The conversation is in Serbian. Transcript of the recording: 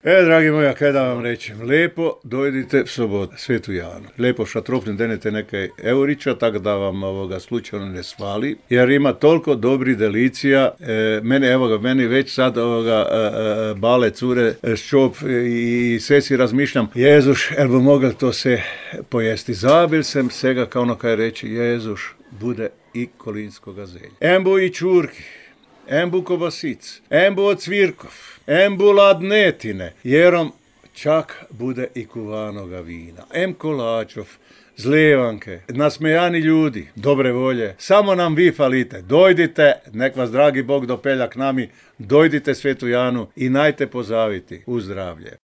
Dragi moji, kaj da vam rečem, lepo dojdite v sobotu, Svetu Janu. Lepo šatrofnim denete nekaj eurića, tako da vam slučajno ne svali, jer ima toliko dobrih delicija. Meni već sad bale cure ščop i sve si razmišljam, Jezuš, el bi mogel to se pojesti. Zabil sem sega, kao ono kaj reći, Jezuš, bude i kolinskoga zelja. Embo i čurki, embu kobasic, embu od cvirkov, embu ladnetine, jerom čak bude i kuvanoga vina, kolačov, zlijevanke, nasmejani ljudi, dobre volje, samo nam vi falite, dojdite, nek vas dragi Bog dopelja k nami, dojdite Svetu Janu i najte pozaviti u zdravlje.